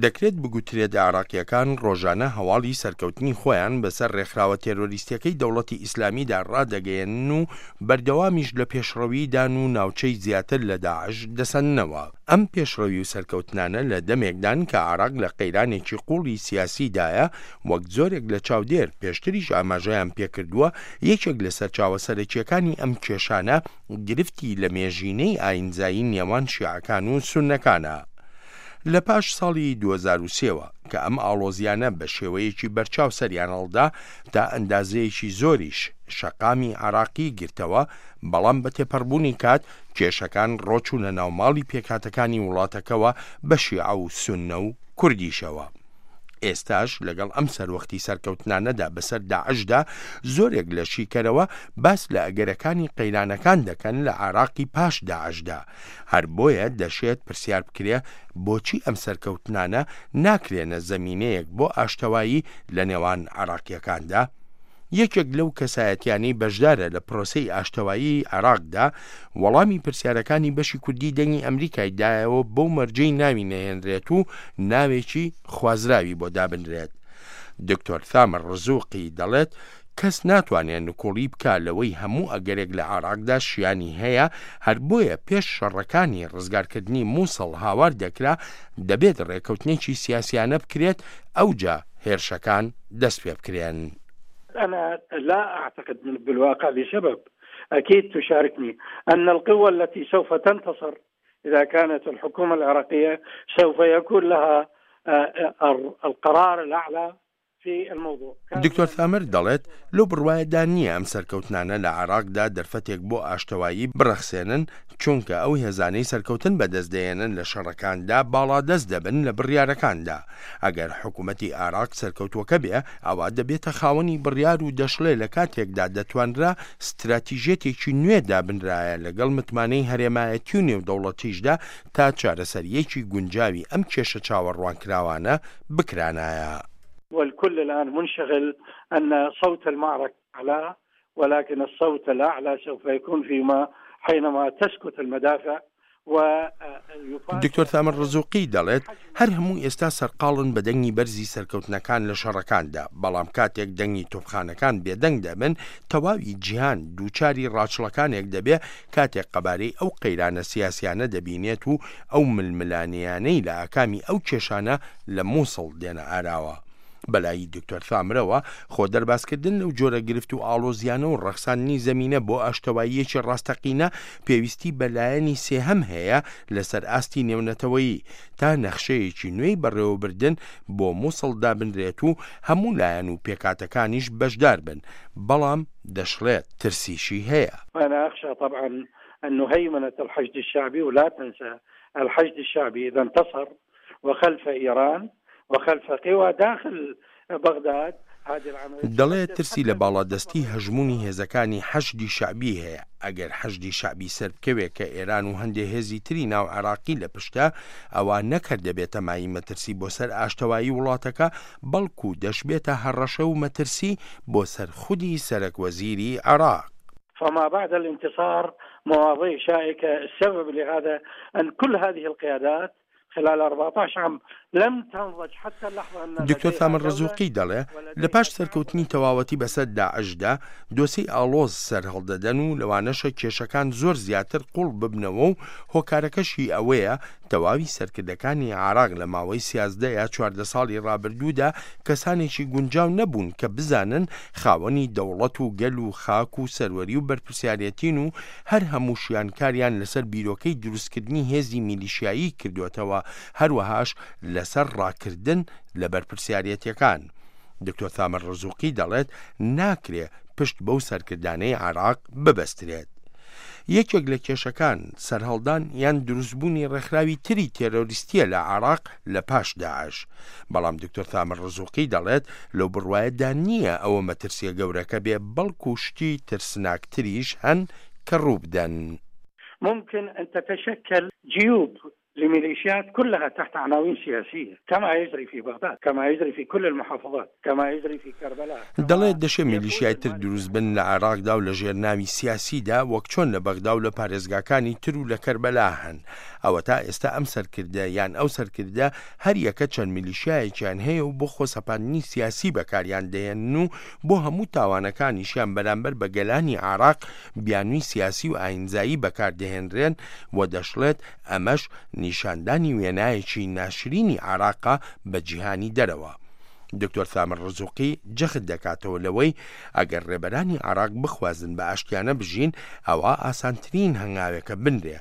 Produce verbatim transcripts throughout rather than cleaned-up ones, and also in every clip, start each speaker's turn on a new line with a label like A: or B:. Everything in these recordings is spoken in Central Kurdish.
A: دەکرێت بگوترێت عێراقییەکان ڕۆژانە هەواڵی سەرکەوتنی خۆیان بەسەر ڕێکخراوە تێرۆریستیەکەی دەوڵەتی ئیسلامیدا ڕادەگەیەنن و بەردەوامیش لە پێشڕەویدان و ناوچەی زیاتر لە داعش دەسەننەوە. ئەم پێشڕەوی و سەرکەوتنانە لە دەمێکدان کە عێراق لە قەیرانێکی قوڵی سیاسیدایە، وەک زۆرێک لە چاودێر پێشتریش ئاماژەیان پێکردووە، یەکێک لە سەرچاوە سەرەکییەکانی ئەم کێشانە گرفتی لەمێژینەی ئایینزایی نێوان شیعەکان و سوننەکانە. لە پاش ساڵی دوو هەزار و سێ وە کە ئەم ئاڵۆزیانە بە شێوەیەکی بەرچاو سەریان هەڵدا، تا ئەندازەیەکی زۆریش شەقامی عێراقی گرتەوە، بەڵام بە تێپەڕبوونی کات کێشەکان ڕۆچوونە ناو ماڵی پێکهاتەکانی وڵاتەکەوە بە شیعە و سوننە و کوردیشەوە. ئێستاش لەگەڵ ئەم سەروەختی سەرکەوتنانەدا بەسەر داعشدا، زۆرێک لە شیکەرەوە باس لە ئەگەرەکانی قەیرانەکان دەکەن لە عێراقی پاش داعشدا. هەر بۆیە دەشێت پرسیار بکرێ بۆچی ئەم سەرکەوتنانە ناکرێنە زەمینەیەک بۆ ئاشتەوایی لە نێوان عێراقییەکاندا؟ یەکێک لەو کەسایەتیانەی بەشدارە لە پرۆسەی ئاشتەوایی عێراقدا، وەڵامی پرسیارەکانی بەشی کوردی دەنگی ئەمریکای دایەوە بەو مەرجەی ناوی نەهێنرێت و ناوێکی خوازراوی بۆ دابنرێت. دکتۆر ثامر ڕزوقی دەڵێت کەس ناتوانێت نکوڵی بکا لەوەی هەموو ئەگەرێک لە عێراقدا شیانی هەیە، هەر بۆیە پێش شەڕەکانی ڕزگارکردنی موسڵ هاوار دەکرا دەبێت ڕێکەوتنێکی سیاسیانە بکرێت ئەوجا هێرشەکان دەست پێ بکرێن.
B: أنا لا أعتقد بالواقع لسبب أكيد تشاركني أن القوى التي سوف تنتصر إذا كانت الحكومة العراقية سوف يكون لها القرار الأعلى في الموضوع.
A: دکتۆر ثامر دەڵێت لەو بڕوایەدا نییە ئەم سەرکەوتنانە لە عێراقدا دەرفەتێک بۆ ئاشتەوایی بڕەخسێنن، چونکە ئەو هێزانەی سەرکەوتن بەدەست دەیەنن لە شەڕەکاندا باڵادەست دەبن لە بڕیارەکاندا. ئەگەر حکوومەتی عێراق سەرکەوتووەکە بێ، ئەوە دەبێتە خاوەنی بڕیار و دەشڵێ لە کاتێکدا دەتوانرا ستراتیژیەتێکی نوێ دابنرایە لەگەڵ متمانەی هەرێمایەتی و نێودەوڵەتیشدا تا چارەسەریەکی گونجاوی ئەم کێشە چاوەڕوانکراوانە بکرانایە.
B: والكل الآن منشغل أن صوت المعركة أعلى، ولكن الصوت الأعلى سوف يكون فيما حينما تسكت المدافع.
A: دکتۆر ثامر ڕزوقی دەڵێت هەر هەموو ئێستا سەرقاڵن بە دەنگی بەرزی سەرکەوتنەکان لە شەڕەکاندا، بەڵام کاتێک دەنگی تۆپخانەکان بێدەنگ دەبن تەواوی جیهان دووچاری ڕاچڵەکانێک دەبێ کاتێک قەبارەی ئەو قەیرانە سیاسیانە دەبینێت و ئەو ململانێیانەی لە ئاکامی ئەو کێشانە لە مووسڵ دێنە ئاراوە. بەلای دکتۆر ثامرەوە خۆ دەربازکردن لەو جۆرە گرفت و ئاڵۆزیانە و ڕەخساندنی زەمینە بۆ ئاشتەواییەکی ڕاستەقینە پێویستی بەلایەنی سێهەم هەیە لەسەر ئاستی نێونەتەوەیی تا نەخشەیەکی نوێی بەڕێوەبردن بۆ مووسڵ دابنرێت و هەموو لایەن و پێکاتەکانیش بەشدار بن، بەڵام دەشڵێت ترسیشی هەیە.
B: أنا أخشى طبعا أن هيمنة الحشد الشعبي، ولا تنسى الحشد الشعبي إذا انتصر وخلف إيران وخلف قوى داخل بغداد هذه العملية.
A: دەڵێت ترسی لە باڵادەستی هەژمونی هێزەکانی حەشدی شەعبی هەیە. ئەگەر حەشدی شەعبی سەر بکەوێت کە ئێران و هەندێک هێزی تری ناو عێراقی لە پشتە، ئەوە نەکرد دەبێتە مایەی مەترسی بۆ سەر ئاشتەوایی وڵاتەکە، بەڵکو دەشبێتە هەڕەشە و مەترسی بۆ سەر خودی سەرەک وەزیری عێراق.
B: فما بعد الانتصار مواضيع شائكة. السبب لهذا أن كل هذه القيادات خلال أربعة عشر عام لم تنضج حتى اللحظة أن
A: دکتۆر ثامر ڕزوقی دەڵێ لە پاش سەرکەوتنی تەواوەتی بەسەر داعشدا دۆسەی ئاڵۆز سەرهەڵدەدەن و لەوانەشە کێشەکان زۆر زیاتر قوڵ ببنەوە و هۆکارەکەشی ئەوەیە تەواوی سەرکردەکانی عێراق لە ماوەی سیازدە یا چواردە ساڵی ڕابردوودا کەسانێکی گونجاو نەبوون کە بزانن خاوەنی دەوڵەت و گەل و خاک و سەروەری و بەرپرسیارەتین و هەر هەمووشیان کاریان لەسەر بیرۆکەی دروستکردنی هێزی میلیشیایی کردوێتەوە، هەروەهاش لەسەر ڕاکردن لە بەرپرسیارەتیەکان. دکتۆر ثامر ڕزوقی دەڵێت ناکرێ پشت بەو سەرکردانەی عێراق ببەسترێت. یەکێک لە کێشەکان سەرهەڵدان یان دروستبوونی ڕێکخراوی تری تێرۆریستیە لە عێراق لە پاش داعش. بەڵام دکتۆر ثامر ڕزوقی دەڵێت لەو بڕوایەدا نییە ئەوە مەترسیە گەورەکە بێ، بەڵکو شتی ترسناکتریش هەن کە ڕوو بدەن.
B: ممكن أن تتشكل جيوب لميليشيات كلها تحت عناوين سياسية، كما يجري في بغداد، كما يجري في كل المحافظات، كما يجري في كربلاء.
A: دەڵێت دەشێ میلیشیای تر دروست بن لە عێراقدا و لە ژێر ناوی سیاسیدا، وەک چۆن لە بەغدا و لە پارێزگاکانی تر و لە کەربەلا هەن. ئەوە تا ئێستا ئەم سەرکردە یان ئەو سەرکردە هەریەکە چەند میلیشیایەکیان هەیە و بۆ خۆسەپاندنی سیاسی بەکاریان دەهێنن و بۆ هەموو تاوانەکانیشیان بەرامبەر بە گەلانی عێراق بیانووی سیاسی و ئاینزایی بەکاردەهێنرێن و دەشڵێت ئەمەش نیشاندانی وێنایەکی ناشرینی عێراقە بە جیهانی دەرەوە. دکتۆر ثامر ڕزوقی جەخت دەکاتەوە لەوەی ئەگەر ڕێبەرانی عێراق بخوازن بە ئاشتیانە بژین ئەوە ئاسانترین هەنگاوێکە بنرێ،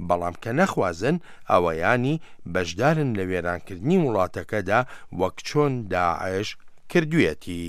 A: بەڵام کە نەخوازن ئەوەیانی بەشدارن لە وێرانکردنی وڵاتەکەدا وەک چۆن داعش کردوێتی.